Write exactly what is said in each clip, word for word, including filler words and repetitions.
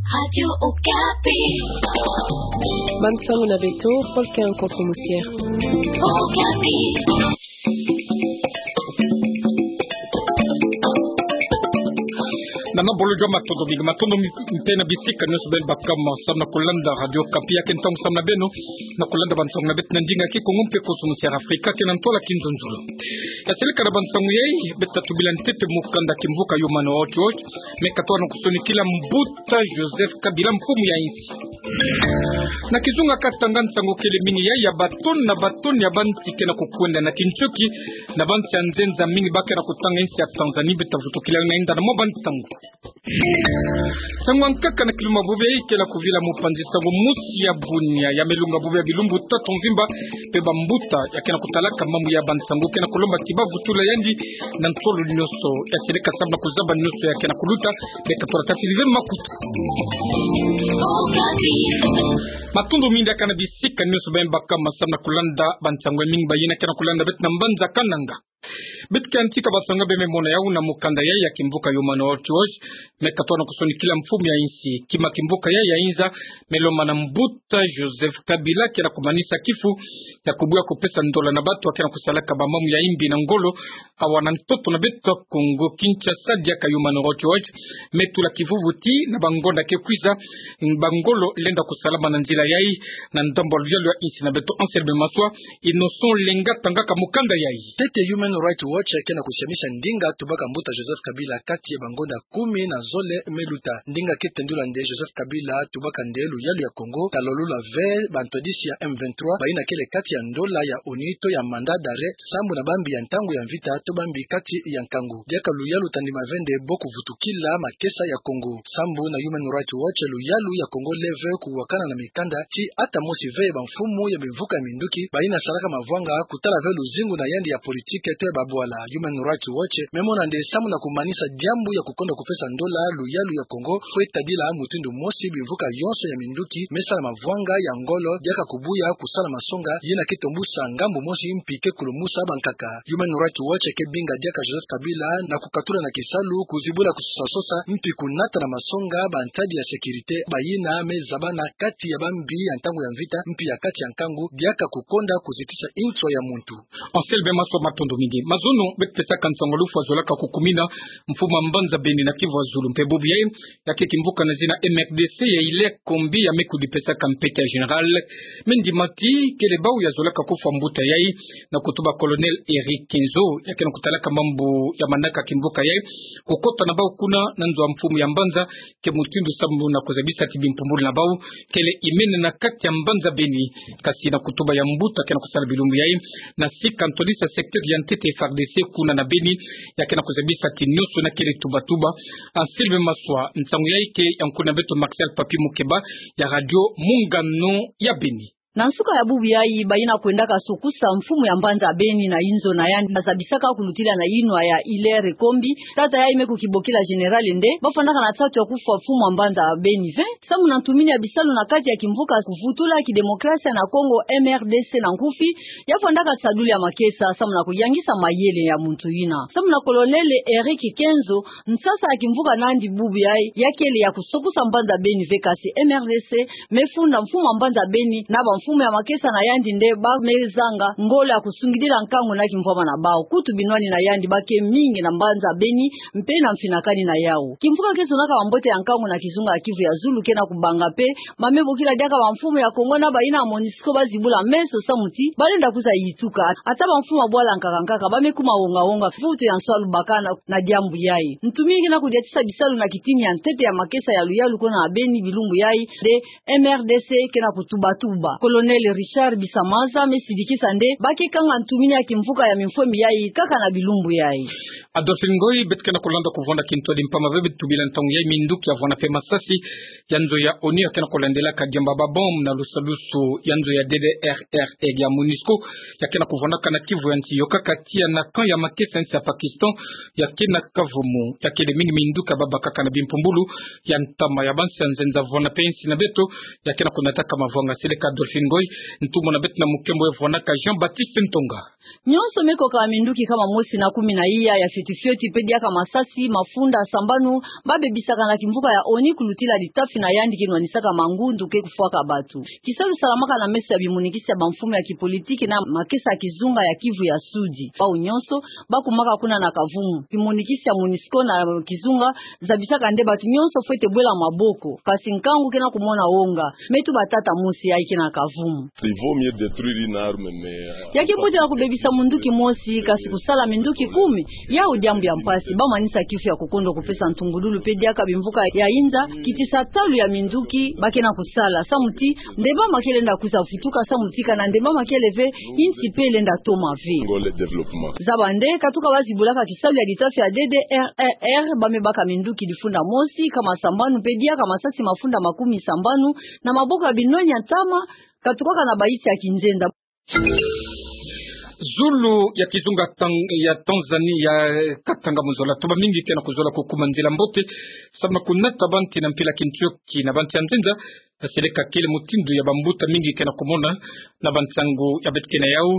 Radio Okapi. Bansango na beto, Paul Ken Konso Musier. Okapi. Nana bolo jua matondo mingi, matondo mi-, mpe na bisika nyonso beno baka ma samu na kulanda Radio Okapi, ya ke ntangu samu na beno na kulanda bansango na beto na ndinga Kikongo mpe Konso Musier Afrika, ke na ntwala Kinzonzolo. Ya seleka na bansango yai, beto ta tubila ntete mukanda kimvuka Human Rights Watch, me katoa na kusonikila mbuta Joseph Kabila, mfumu ya insi. Na kizunga katanga nsangu kele mingi yai, ya batoni na batoni ya bansi ke na kukwenda na kinchoki, na bansi ya nzenza mingi ba ke na kutanga insi ya Tanzanie, beto ta vutukila yo na inda na mwa bansangu. Nsangu ya nkaka na kiluma bubu yai kele kuvila mupanzi nsangu mosi ya bunia, ya melunga bubu ya bilumbu tatu mvimba, mpe bambuta ya ke na kutalaka mambu ya bansangu ke na kulomba ti ba vutula yandi na ntolo nyonso. Ya seleka samu na kuzaba nyonso ya ke na kuluta, me katola ta silive makutu. Matondo mingi diaka na bisika nyonso beno baka ma samu na kulanda bansangu ya mingi ba yina ke na kulanda beto na mbanza Kananga. Beto ke yantika bansangu be me mona yau na mukanda yai ya kimvuka Human Rights Watch, me katoa na kusonikila mfumu ya insi. Kima kimvuka yai ya inza, me lomba na mbuta Joseph Kabila ke na kumanisa kifu ya kubuya kupesa ndola na bantu ba ke na kusalaka bamambu ya imbi na ngolo, awa na ntoto na beto Kongo Kinshasa. Diaka Human Rights Watch me tula kivuvu ti na bangonda ke kwiza, bangolo lenda kusalama na nzila yai na ndambu ya luyalu ya insi na beto. Anselme Maswa, Innocent Lenga tangaka mukanda yai. Ntete Human Rights Watch ke na kusiamisa ndinga tubaka mbuta Joseph Kabila kati ya bangonda kumi na zole me luta. Ndinga ke tendula nde Joseph Kabila tubaka nde luyalu ya Kongo ta lolula ve bantwadisi ya M vingt-trois, ba yina kele kati ya ndola ya ONU to ya mandat d'arrêt, sambu na bambi ya ntangu ya mvita to bambi kati ya nkangu. Diaka luyalu ta ndima ve nde bo kuvutukila makesa ya Kongo. Sambu na Human Rights Watch, luyalu ya Kongo le ve kuwakana na mikanda ti ata mosi ve ya bamfumu ya bimvuka ya minduki ba yina salaka mavwanga kutala ve luzingu na yandi ya politike to ya babwala. Human Rights Watch me mona nde samu na kumanisa diambu ya kukonda kupesa ndola, luyalu ya Kongo fwe tadila mutindu mosi bimvuka yonso ya minduki me sala mavwanga ya ngolo, diaka kubuya kusala masonga yina ke tombusa ngambu mosi mpi ke kulumusa bankaka. Human Rights Watch ke binga diaka Joseph Kabila na kukatula na kisalu kuzibula kusosa-sosa mpi kunata na masonga bantadi ya sécurité ba yina me zabana kati ya bambi ya ntangu ya mvita mpi ya kati ya nkangu, diaka kukonda kuzitisa inswa ya muntu. Anselme Maswa, matondo mingi. Mazono beto pesaka nsangu lufu azolaka kukumina mfumu ya mbanza Beni na kivu ya zulu, mpe bubu yai ya ke kimvuka na zina M R D C ya Hilaire Kombi ya me kudipesaka mpete ya général. Me ndima ti kele bau ya zolaka kufwa mbuta yai na kutuba Colonel Eric Kenzo, ya ke na kutalaka mambu ya manaka kimvuka yai, kukota na bau kuna na nzo ya mfumu ya mbanza, ke mutindu samu na kuzabisa ti bimpumbulu na bau kele imene na kati ya mbanza Beni. Kasi na kutuba ya mbuta ke na kusala bilumbu yai na sika ntwadisi ya secteur ya ntete F A R D C kuna na Beni, ya ke na kuzabisa ti nyonso na kele tuba-tuba. Anselme Maswa, nsangu yai ke ya nkuna beto Martial Papi Mukeba ya Radio Mungano ya Beni. Na nsuka ya bubu yai, ba yina kwendaka sokusa mfumu ya mbanza Beni na inzo na yandi, ba zabisaka kulutila na yinwa ya Hilaire Kombi, tata yai me kukibokila général nde ba fwanaka na nsatu ya kufwa mfumu ya mbanza Beni ve, samu na ntumini ya bisalu na kati ya kimvuka kuvutula kidemokrasia na Kongo, M R D C na nkufi, ya fwandaka sadulu ya makesa samu na kuyangisa mayele ya muntu yina. Samu na Colonel Eric Kenzo, nsasa ya kimvuka na yandi bubu yai ya kele ya kusokusa mbanza Beni ve, kasi M R D C me funda mfumu ya mbanza Beni na bamfumu ya makesa na yandi nde ba me zanga ngolo ya kusungidila nkangu na kimvwama na bau. Kutu binwani na yandi ba ke mingi na mbanza Beni mpe na mfinakani na yau. Kimvuka ke zonaka bambote ya nkangu na kizunga ya Kivu ya zulu ke na kubanga mpe ba me bokila diaka bamfumu ya Kongo na ba yina MONUSCO ba zibula meso samu ti ba lenda kwiza yituka. Ata bamfumu ya bwala nkaka nkaka ba me kuma wonga-wonga, mvutu ya nsoa lubaka na, na diambu yai. Ntumini ke na kudiatisa bisalu na kitini ya ntete ya makesa ya luyalu kuna na Beni bilumbu yai nde M R D C ke na kutuba-tuba. Colonel Richard Bisamaza me sidikisa nde ba ke kanga ntumini ya kimvuka ya mimfwemi yai kaka na bilumbu yai. Adolphine Ngoyi, beto ke na kulanda kuvwanda kintwadi mpamba ve beto tubila ntangu yai minduki ya vwanda mpe masasi ya nzo ya ONU ya ke na kulandelaka diamba ba bombe na lusadusu ya nzo ya D D R R ya MONUSCO ya ke na kuvwandaka na Kivu ya nsi yo, kaka tiya na camp ya makesa ya nsi ya Pakistan ya ke na kavumu. Ya kele mingi minduki ya babakaka na bimpumbulu ya ntama ya bansi ya nzenza vwanda mpe nsi na beto ya ke na kunataka mavwanga. Seleka Adolphine. Ngoi, ntumona beto na mukembo ya vwanaka Jean-Baptiste Ntonga. Nyonso me kokaka minduki kama mosi na kumi na iya ya fioti fioti pe diaka masasi mafunda sambanu, ba bebisaka na kimvuka ya ONU kulutila litafi na yandi ke nwanisaka mangundu ke kufwaka batu. Kisalu salamaka na meso ya bimonikisi ya bamfumu ya kipolitiki na makesa ya kizunga ya Kivu ya Sudi. Bau nyonso ba kumaka kuna na kavumu. Bimonikisi ya MONUSCO na kizunga zabisaka nde batu nyonso fwete bwela maboko. Kasi nkangu ke na kumona wonga. Me tuba tata mosi yayi ke na kavumu. Il vaut mieux détruire une arme, mais, euh, ya ke mbote na kubebisa munduki mosi, kasi kusala minduki kumi, yau diambu ya mpasi. Ba manisa kifu ya kukondwa kupesa ntungululu pe diaka bimvuka ya inza, kitisa talu ya minduki ba ke na kusala. Samu ti, ndemba ma ke lenda kwiza vutuka, samu ti kana ndemba ma kele ve, insi pe lenda toma ve. Ngole développement. Zaba nde, katuka ba zibulaka kisalu ya litafi ya D D R R R, ba me baka minduki difunda mosi, kama sambanu pe diaka masasi mafunda makumi sambanu, na maboko ya binoni ya ntama, katukaka na bayisi ya kinzenza. Zulu ya kizunga Tan-, ya Tanzanie, ya, eh, Katanga mu zola. Tuba mingi ke na kuzola kukuma nzila mbote, samu na kunata banti na mpila kintioki na banti ya nzenza, na seleka kele mutindu ya bambuta mingi ke na kumona, na bansangu ya beto ke na yau,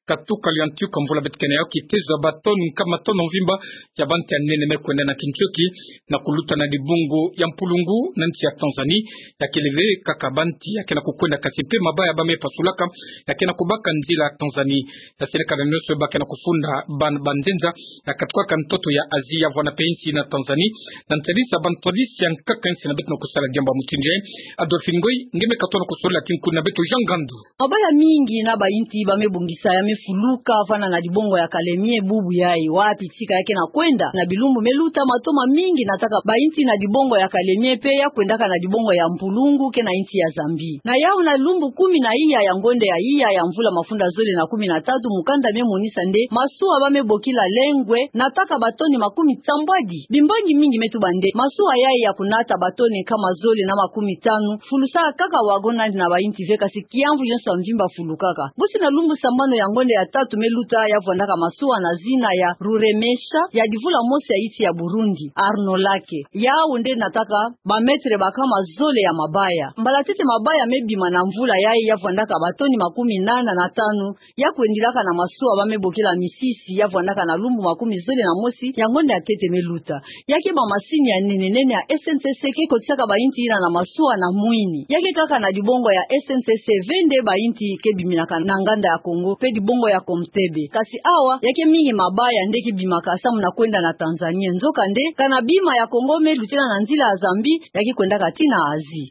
katuka liantiuka mvula beto ke na yau, kitezo ya batoni nkama tono mvimba, ya banti ya nene me kwenda na kintioki, na kuluta na dibungu ya mpulungu, na nsi ya Tanzanie, ya kele ve kaka banti ya ke na kukwenda kasi mpe mabaya ba me pasulaka, ya ke na kubaka nzila Tanzanie, ya seleka na nyonso ba ke na kufunda ban-, banzenza, ya katukaka ntoto ya Asie, ya vwanda mpe insi na Tanzanie, na ntadisi ya bantwadisi ya nkaka insi na beto na kusala diambu ya mutindu yayi. Adolphine Ngoyi, nge me katono kusolola kinkuni na beto Jean Ngandu. Mabaya mingi na bainti ba me bongisa ya me fuluka, vwanda na dibongo ya Kalemie bubu yayi, wapi tika ya ke na kwenda, na bilumbu me luta matoma mingi nataka bainti na dibongo ya Kalemie pe ya kwendaka na dibongo ya mpulungu ke na insi ya Zambie. Na yau na lumbu kumi na iya ya ngonde ya iya ya mvula mafunda zole na kumi na tatu, mukanda me monisa nde masuwa ba me bokila Lengwe nataka batoni makumi sambwadi. Bimbangi mingi me tuba nde masuwa yayi ya kunata batoni nkama zole na makumi tanu, fulusaka kaka wagon na bainti ve, kasi kiamvu yonso ya mvimba fulukaka. Bosi na lumbu sambanu ya ngonde ya tatu me luta, ya vwandaka masuwa na zina ya Ruremesha, ya divula mosi ya insi ya Burundi, Arnaud Lake. Yau nde nataka ba mètre ba nkama zole ya mabaya. Mbala ntete mabaya me bima na mvula yayi, ya vwandaka batoni makumi nana na tanu, ya kwendilaka na masuwa ba me bokila Misisi, ya vwandaka na lumbu makumi zole na mosi ya ngonde ya ntete me luta. Ya ke ba masini ya nene nene ya S N C C ke kotisaka bainti yina na masuwa na mwini. Ya ke kaka na dibongo ya S N C C ve nde bainti ke biminaka na nganda ya Kongo, pe dibongo ya Komtebe. Kasi awa, ya ke mingi mabaya nde ke bimaka samu na kwenda na Tanzanie. Nzokande, kana bima ya Kongo me lutila na nzila ya Zambie, ya ke kwendaka tii na Asie.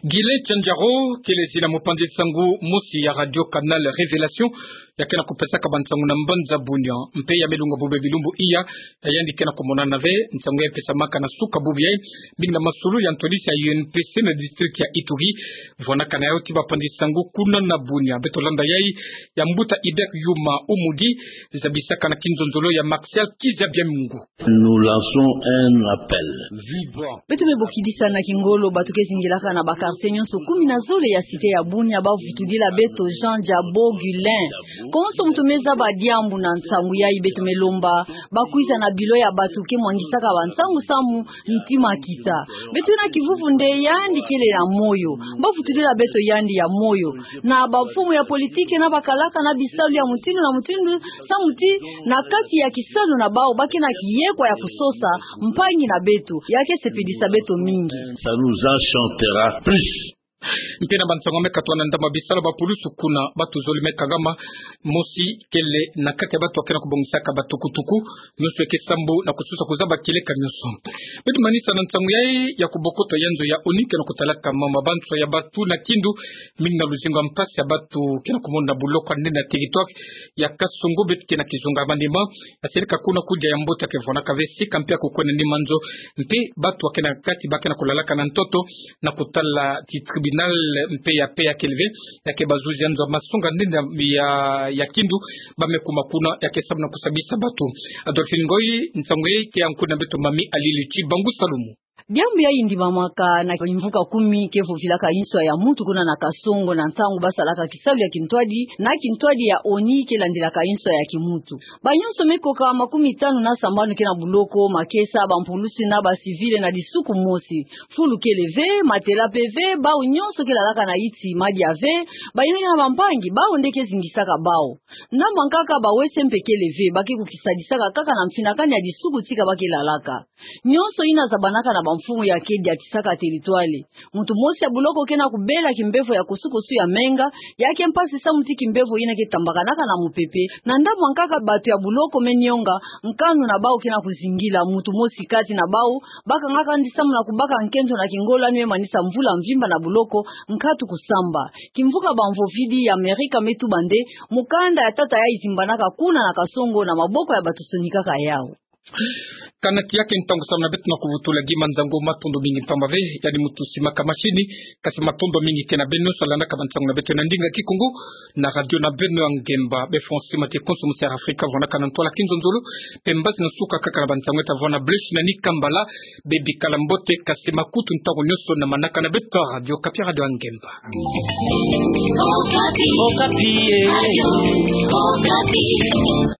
Gile Chanjaro, kele zina mopanzi nsangu mosi ya Radio Canal Révélation, ya ke na kupesaka bansangu na mbanza Bunia, mpe ya me lunga bobele bilumbu iya, ya yandi ke na kumonana ve, nsangu ya pesamaka na suka bubu yayi, mingi na masululu ya ntwadisi ya U N P C na district ya Ituri, vwanakana yawu ti bapanzi nsangu kuna na Bunia, beto landa yayi, ya mbuta Ibek Yuma Umudi, zabisaka na kinzonzolo ya Martial Kiza Biamungu. Nous lançons un appel vibrant. Beto me bokidisa na kingolo bato ke zingilaka na ba quartier nyonso kumi na zole ya cité ya Bunia ba vutudila beto Jean Diabo Gulin. Konso moto me zaba diambu na nsangu yayi, beto me lomba ba kwiza na bilo ya bato ke mwangisaka bansangu samu ntima kita. Beto na kivuvu nde yandi kele ya moyo. Ba vutudila beto yandi ya moyo. Na bamfumu ya politiki na bakalaka na bisalu ya mutindu na mutindu, samu ti na kati ya kisalu na bawu ba ke na kiyekwa ya kusosa mpangi na beto, ya ke sepelisa beto mingi. Ça nous enchantera plus. Mpe na bansangu me katwa na ndambu ya bisalu, bapulusu kuna bato zole me kangama, mosi kele na kati ya bato ke na kubongisaka batukutuku, nyonso ke sambu na kusosa kuzaba kieleka nyonso. Beto manisa na nsangu yayi ya kubokoto ya nzo ya ONU ke na kutalaka mama banso ya bato na kindu, mingi na luzingu ya mpasi ya bato ke na kumona na buloko ya nene na territoire ya Kasongo, beto ke na kizunga ya Maniema, ya seleka kuna kudia ya mbote ya ke vwanaka ve sika mpe ya kukwenda nima nzo, mpe bato ya ke na kati ba ke na kulalaka na ntoto, na kutala ti tribunal mpe ya paix ya kele ve, ya ke bazuzi ya nzo ya masonga nene ya, ya, ya kindu, ba me kuma kuna, ya ke sambu na kusabisa bato. Adolphine Ngoyi, nsangu yayi ke ya nkuna beto Mami Alili Chibangu Salumu. Diambu ya yindimamaka na kimvuka kumi ke vovilaka inswa ya muntu kuna na Kasongo na ntangu ba salaka kisalu ya kintwadi na kintwadi ya ONI ke landilaka inswa ya kimuntu. Banyonso me koka makumi tanu na sambanu ke na buloko, makesa, bampulusi na bacivil na disuku mosi. Fulu kele ve, matela pe ve, bau nyonso ke lalaka na yiti madia ve, bayina na bampangi, bau nde ke zingisaka bau. Na mankaka bawese mpe kele ve, ba ke kukisadisaka kaka na mfinakani ya disuku tika ba ke lalaka. Nyonso yina zabanaka na bamfumu ya ke diatisaka territoire. Muntu mosi ya buloko ke na kubela kimbevo ya kusukusu ya menga, ya ke mpasi samu ti kimbevo yina ke tambakanaka na mupepe, na ndambu ya nkaka batu ya buloko me nionga, nkanu na bau ke na kuzingila, muntu mosi kati na bau, ba kangaka ndi samu na kubaka nkento na kingolo yandi me manisa mvula mvimba na buloko, nkatu kusamba. Kimvuka bamvovidi ya Amerika me tuba nde, mukanda ya tata ya yizimbanaka kuna na Kasongo na maboko ya batu sonikaka yau. Kana tiya ke ntangu samu na beto na kuvutula gi manzango. Matondo mingi mpamba ve, yandi muntu simaka mashini, kasi matondo mingi ke na beno nyonso landaka bansangu na beto na ndinga Kikongo, na radio na beno ya ngemba, be fonsi mate konso musi ya Afrika, vwanaka na ntwala kinzonzolo, mpe mbasi na suka kaka na bansangu eta vwana Blaise na Nikambala, be bikala mbote, kasi makutu ntangu nyonso na manaka na beto Radio Okapi, radio ya ngemba. Okapi. Okapi, eh. Radio Okapi.